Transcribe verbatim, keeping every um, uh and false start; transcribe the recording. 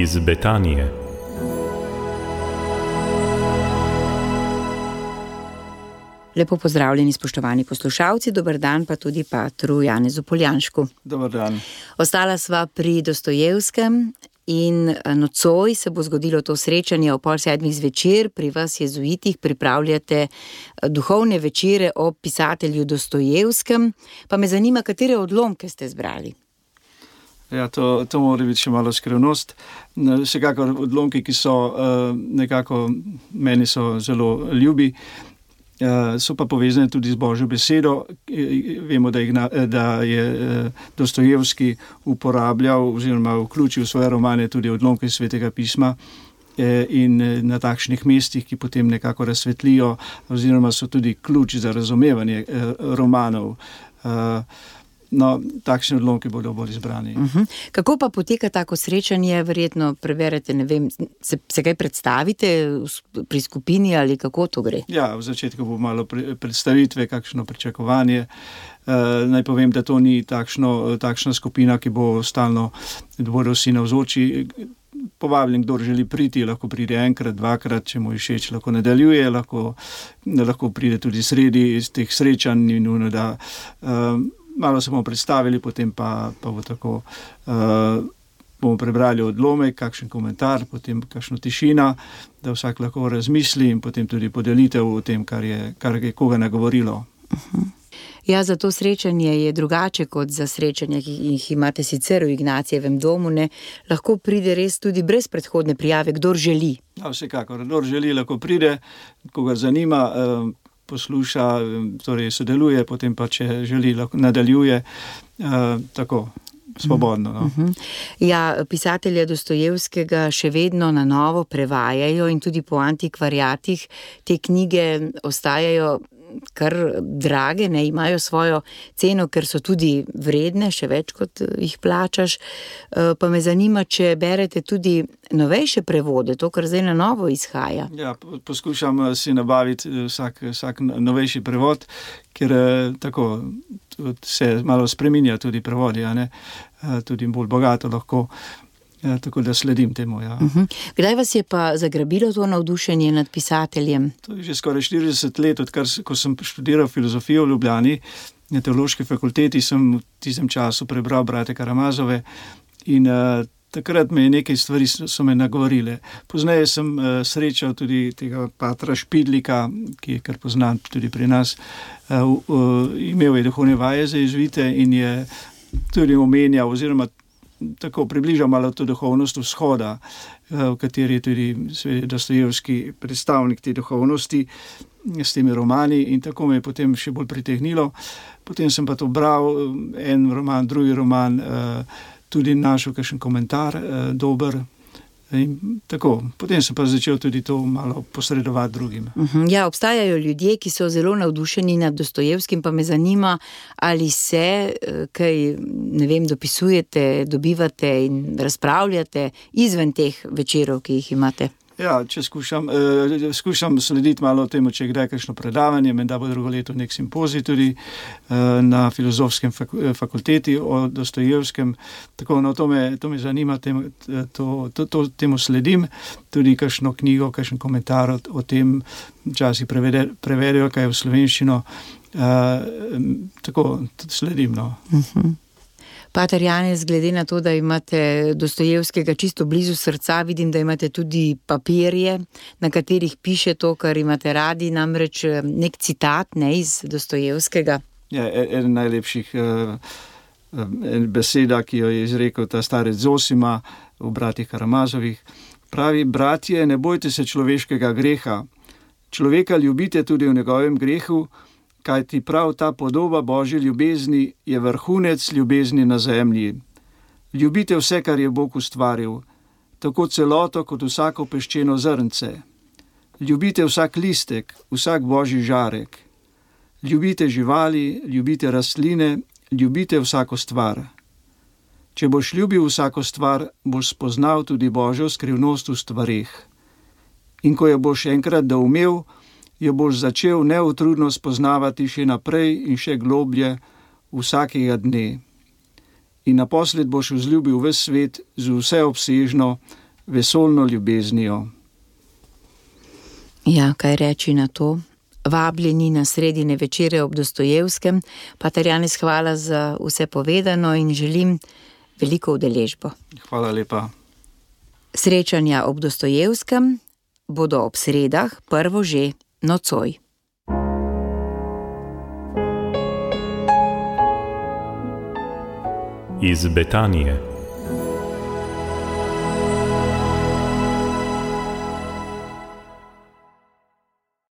iz Betanije. Lepo pozdravljeni, spoštovani poslušalci, dober dan pa tudi patru Janezu Poljanšku. Dober dan. Ostala sva pri Dostojevskem in nocoj se bo zgodilo to srečanje o pol sedmih zvečer. Pri vas jezuitih pripravljate duhovne večere o pisatelju Dostojevskem. Pa me zanima, katere odlomke ste zbrali? Ja, to, to mora biti še malo skrivnost. Vsekakor odlomki, ki so nekako, meni so zelo ljubi, so pa povezane tudi z Božjo besedo. Vemo, da, igna, da je Dostojevski uporabljal oziroma vključil v svoje romane tudi odlomke Svetega pisma in na takšnih mestih, ki potem nekako razsvetlijo oziroma so tudi ključ za razumevanje romanov. No, takšni odlomki bodo bolj izbrani. Uh-huh. Kako pa poteka tako srečanje? Verjetno preverite, ne vem, se, se kaj predstavite pri skupini ali kako to gre? Ja, v začetku bo malo predstavitve, kakšno pričakovanje. E, naj povem, da to ni takšno, takšna skupina, ki bo stalno, da bodo vsi navzoči. Povabljen, kdor želi priti, lahko pride enkrat, dvakrat, če mu je všeč, lahko nadaljuje, lahko, lahko pride tudi sredi iz teh srečanj in nujno, da e, malo se bomo predstavili, potem pa, pa bo tako, uh, bomo prebrali odlomek, kakšen komentar, potem kakšno tišina, da vsak lahko razmisli in potem tudi podelitev o tem, kar je, kar je koga nagovorilo. Uh-huh. Ja, za to srečanje je drugače kot za srečanja, ki jih imate sicer v Ignacijevem domu, ne? Lahko pride res tudi brez predhodne prijave, kdor želi. Ja, vsekakor, kdor želi, lahko pride, koga zanima, uh, posluša, torej sodeluje, potem pa, če želi, nadaljuje, uh, tako, svobodno. No? Uh-huh. Ja, pisatelja Dostojevskega še vedno na novo prevajajo in tudi po antikvariatih te knjige ostajajo kar drage, ne, imajo svojo ceno, ker so tudi vredne, še več kot jih plačaš. Pa me zanima, če berete tudi novejše prevode, to, kar zdaj na novo izhaja. Ja, poskušam si nabaviti vsak, vsak novejši prevod, ker tako se malo spreminja tudi prevodi, a ne, tudi bolj bogato lahko. Ja, tako da sledim temu, ja. Uh-huh. Kdaj vas je pa zagrabilo to navdušenje nad pisateljem? To je že skoraj štirideset let, odkar, ko sem študiral filozofijo v Ljubljani, na teološki fakulteti, sem v tistem času prebral brate Karamazove in uh, takrat me je nekaj stvari so, so me nagovorile. Pozneje sem uh, srečal tudi tega patra Špidlika, ki je kar poznan tudi pri nas, uh, uh, imel je duhovne vaje za jezuite in je tudi omenjal oziroma tako približal malo to duhovnost vzhoda, v kateri je tudi Dostojevski predstavnik te duhovnosti s temi romani in tako me je potem še bolj pritegnilo. Potem sem pa to bral, en roman, drugi roman, tudi našel kakšen komentar dober. In tako, potem sem pa začel tudi to malo posredovati drugim. Uh-huh. Ja, obstajajo ljudje, ki so zelo navdušeni nad Dostojevskim, pa me zanima, ali se kaj, ne vem, dopisujete, dobivate in razpravljate izven teh večerov, ki jih imate. Ja, če skušam, eh, skušam slediti malo temu, če je kdaj kakšno predavanje, menda bo drugo leto nek simpozij tudi eh, na filozofskem fak- fakulteti o Dostojevskem. Tako, no, to me, to me zanima, temu, to, to, to, temu sledim, tudi kakšno knjigo, kakšen komentar o, o tem, včasih prevede, prevedejo, kaj je v slovenščino. Eh, tako, sledim, no. Uh-huh. Pater Janez, glede na to, da imate Dostojevskega čisto blizu srca, vidim, da imate tudi papirje, na katerih piše to, kar imate radi, namreč nek citat, ne, iz Dostojevskega. Ja, eden najlepših uh, beseda, ki jo je izrekel ta starec Zosima v bratih Karamazovih. Pravi: bratje, ne bojte se človeškega greha. Človeka ljubite tudi v njegovem grehu, kajti prav ta podoba Božje ljubezni je vrhunec ljubezni na zemlji. Ljubite vse, kar je Bog ustvaril, tako celoto kot vsako peščeno zrnce. Ljubite vsak listek, vsak Božji žarek. Ljubite živali, ljubite rastline, ljubite vsako stvar. Če boš ljubil vsako stvar, boš spoznal tudi Božjo skrivnost v stvareh. In ko jo boš enkrat doumel, jo boš začel neutrudno spoznavati še naprej in še globlje vsakega dne. In naposled boš vzljubil ves svet z vseobsežno, vesoljno ljubeznijo. Ja, kaj reči na to? Vabljeni na sredine večere ob Dostojevskem. Pater Janez, hvala za vse povedano in želim veliko udeležbo. Hvala lepa. Srečanja ob Dostojevskem bodo ob sredah, prvo že nocoj. Iz Betanije.